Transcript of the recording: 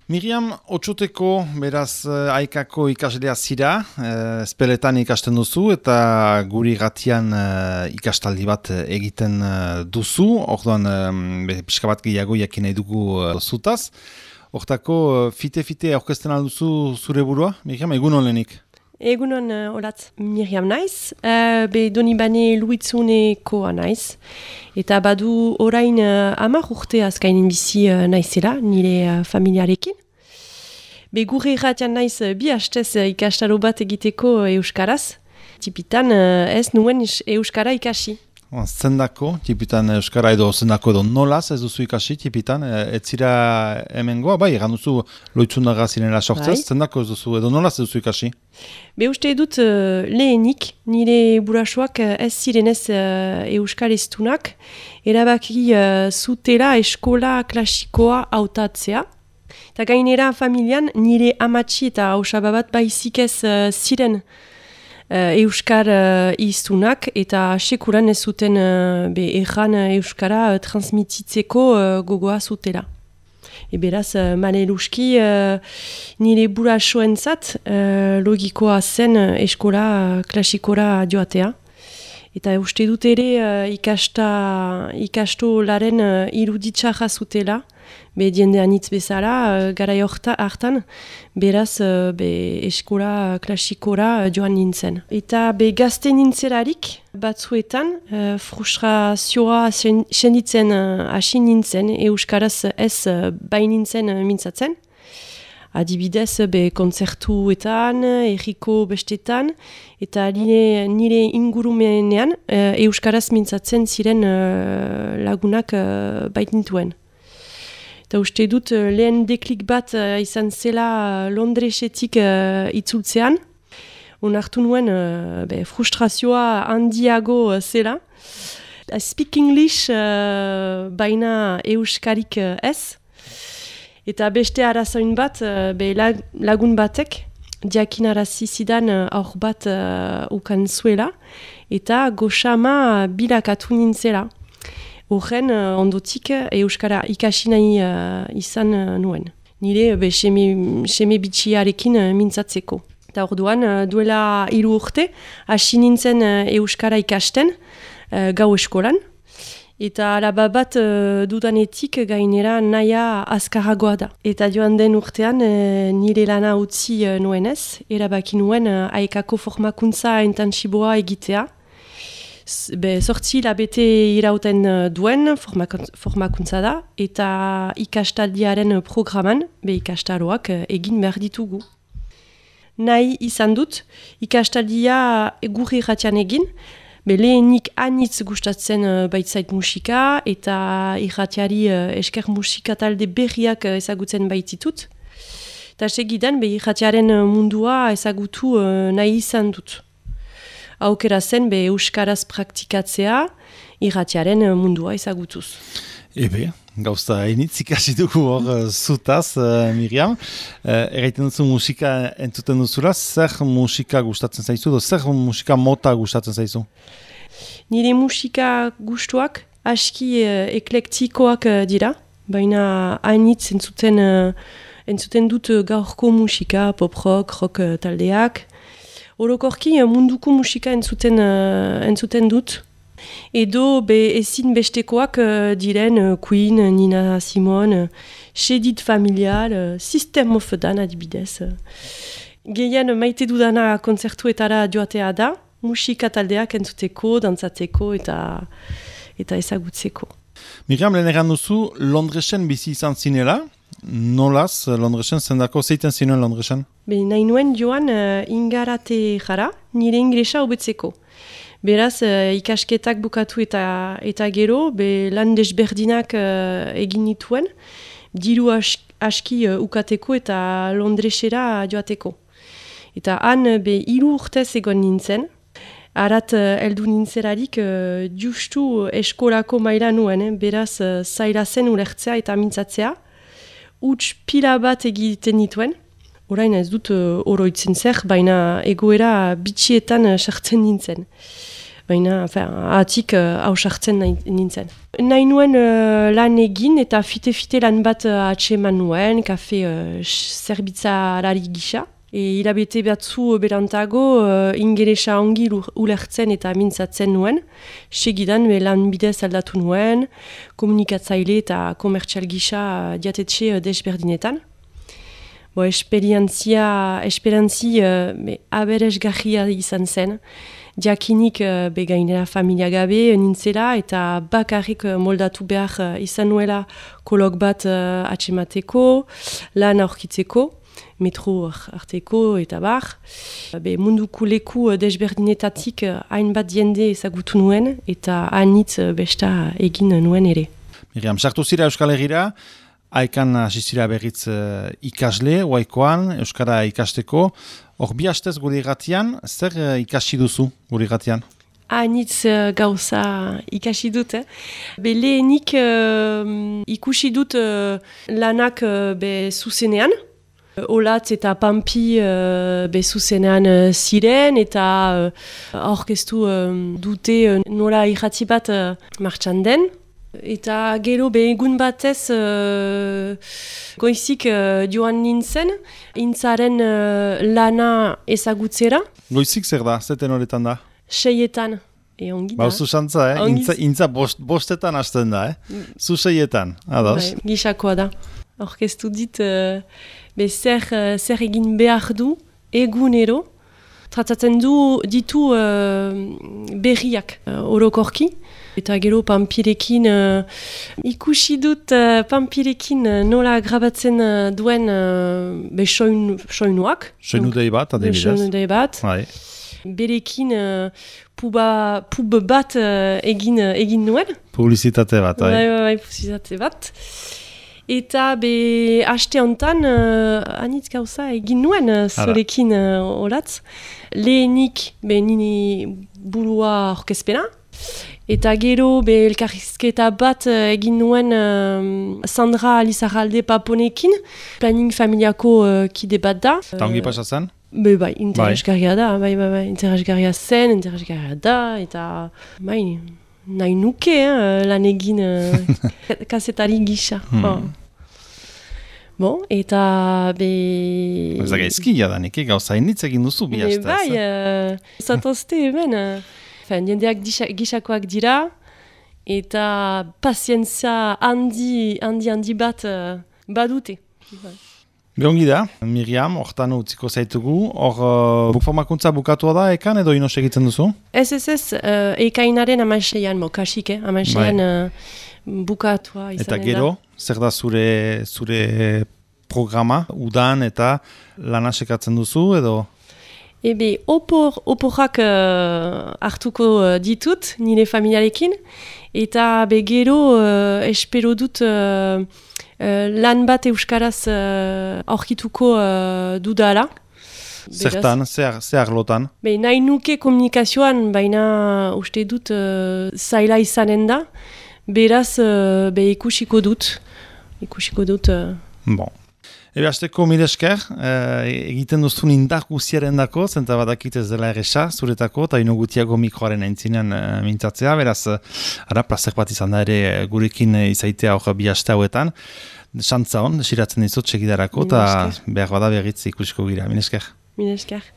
Miriam, Otsoteko, beraz, Aikako ikaslea zira, espeletan ikasten duzu eta guri gatian ikastaldi bat egiten duzu, orduan pixka bat gehiago jakin nahi dugu zutaz. Hortako, fite-fite aurkezten alduzu zure burua, Miriam, egun olenik? Egunon olatz Miriam naiz, Donibane Luitzunekoa naiz, eta badu orain 10 urte azkainen bizi naizela, nire familiarekin. Gure irratian naiz bi hastez ikastaro bat egiteko euskaraz, tipitan ez nuen euskara ikasi. Zendako, tipitan euskara edo nolaz ez duzu ikasi, tipitan, ez zira hemengoa, bai, egan duzu loitzundaga zinela sortzez, bai. Zendako ez duzu edo nolaz ez duzu ikasi? Uste dut lehenik, nire burasoak ez zirenez euskareztunak, erabaki zutela eskola klasikoa hautatzea. Eta gainera familian nire amatxi eta hausababat baizik ez ziren euskar iztunak eta sekuran ez zuten erran euskara transmititzeko gogoa zutela. Beraz, maleluski nire burasoentzat logikoa zen eskola klasikora joatea. Eta uste dut ere ikastolaren iruditxarra zutela, diendean hitz bezala, garai hartan, beraz eskola klasikora joan nintzen. Eta gazte nintzelarik, batzuetan, frustrazioa senditzen hasi nintzen, euskaraz ez bainintzen mintzatzen. Adibidez, kontzertuetan, erriko bestetan, eta nire ingurumenean euskaraz mintzatzen ziren lagunak baitintuen. Eta uste dut lehen deklik bat izan zela Londresetik itzultzean. Onartu nuen frustrazioa handiago zela. I speak English baina euskarik ez. Eta beste arazoin bat lagun batek diakinarazi zidan aur bat ukan zuela. Eta goxama bilakatu nintzela. Horren ondotik euskara ikasi nahi izan nuen. Nire seme bitxiarekin mintzatzeko. Eta orduan duela 3 urte hasi nintzen euskara ikasten gau eskolan. Eta alaba bat dudanetik gainera nahia azkarragoa da. Eta joan den urtean nire lana utzi nuenez, erabaki nuen Aikako formakuntza intensiboa egitea. 8 labete irauten duen formakuntza da, eta ikastaldiaren programan, ikastaroak egin behar ditugu. Nahi izan dut, ikastaldia gure irratian egin, lehenik anitz gustatzen baitzait musika, eta irratiari esker musika talde berriak ezagutzen baititut. Eta segidan, irratiaren mundua ezagutu nahi izan dut. Aukera zen euskaraz praktikatzea irratiaren mundua ezagutuz. Gauza hainitz ikasi dugu hor zutaz, Miriam. Erraiten duzu musika entzuten duzula, zer musika gustatzen zaizu, zer musika mota gustatzen zaizu? Nire musika gustuak aski eklektikoak dira, baina hainitz entzuten dut gaurko musika, pop rock taldeak. Orokorki munduko musika entzuten dut. Edo ezin bestekoak diren Queen, Nina Simone, Shedid Familial, System of a Down adibidez. Gehien maite dudana kontzertuetara joatea da, musika taldeak entzuteko, dantzateko eta ezagutzeko. Miriam, lehen egan duzu, Londresen bizi izan zinela. Nolaz, Londresen, zendako zeiten zinuen Londresen? Nahi nuen joan ingarate jara, nire inglesa hobetzeko. Beraz, ikasketak bukatu eta gero, lan desberdinak egin nituen, diru aski ukateko eta Londresera joateko. Eta han, 3 urtez egon nintzen, arat heldu nintzelarik justu eskolako maila nuen, beraz zaila zen ulertzea eta mintzatzea, huts pila bat egiten nituen. Orain ez dut oroitzen zer, baina egoera bitxietan sartzen nintzen. Baina, atik hausartzen nintzen. Nahi nuen lan egin eta fite-fite lan bat atseman nuen, kafe zerbitzarari gisa. Hilabete batzu berantago ingelesa ongi ulertzen eta mintzatzen nuen. Segidan lan bidez aldatu nuen, komunikatzaile eta komertzial gisa diatetxe desberdinetan. Esperientzi aberesgarria izan zen. Diakinik gainera familia gabe nintzela eta bakarrik moldatu behar izan nuela kolok bat atsemateko, lan aurkitzeko, metro arteko eta bar. Munduko leku desberdinetatik hainbat jende ezagutu nuen eta hainitz besta egin nuen ere. Miriam, sartu zira Euskal Herrira, haikan asizira berriz ikasle, oaikoan, Euskara ikasteko. Hor bi hastez gure irratian, zer ikasi duzu gure irratian? Hainitz gauza ikasi dut. Lehenik ikusi dut lanak zuzenean. Olatz eta Pampi zuzenean ziren eta aurkeztu dute nola irrati bat martxan den. Eta gero egun batez goizik joan nintzen, intzaren lana ezagutzera. Goizik zer da, zeten horretan da? 6etan. Ongi da. Oso xantza, intza bostetan hasten da, Zu 6etan, ados? Gisakoa da. Orkestu dit, zer egin behar du egunero, tratatzen ditu berriak orokorki. Eta gero Pampirekin ikusi dut Pampirekin nola grabatzen duen soinuak. Soinu dei bat, adibidez. Soinu dei bat. Berekin pub bat egin nuen. Publizitate bat, publizitate bat. Eta haste honetan anitz gauza egin nuen zorekin olatz. Lehenik nini burua orkezpena. Eta gero elkarrizketa bat egin nuen Sandra Lizarralde Paponekin, planning familiako kide bat da. Eta ongi pasatzen? Interesgarria da, interesgarria zen, interesgarria da, eta nahi nuke lan egin kazetari gisa. Eta Ez da gaizkia da, neke gauza initz egin duzu bi hastez. Zatozte hemen. Jendeak gisakoak dira, eta pazientzia handi bat badute. Beongi da, Miriam, hortan utziko zaitugu. Hor formakuntza bukatua da, ekan edo inos egiten duzu? Ez, ekainaren 16an, kasik, 16an bukatua izan. Eta gero, zer da zure programa, udan eta lana sekatzen duzu edo? Oporrak hartuko ditut, nire familiarekin, eta gero espero dut lan bat euskaraz aurkituko dudala. Zertan, zer lotan? Nahi nuke komunikazioan, baina uste dut zaila izanen da, beraz ikusiko dut. Bon. Hasteko mil esker, egiten duzun indar guziaren dako, zenta badakit ez dela erresa, zuretako, eta inogutiago mikroaren aintzinean mintzatzea, beraz, plazer bat izan da ere gurekin izaitea hor bi haste hauetan. Xantza hon, desiratzen dizut segidarako, eta behar bada berriz ikusiko gira. Mil esker.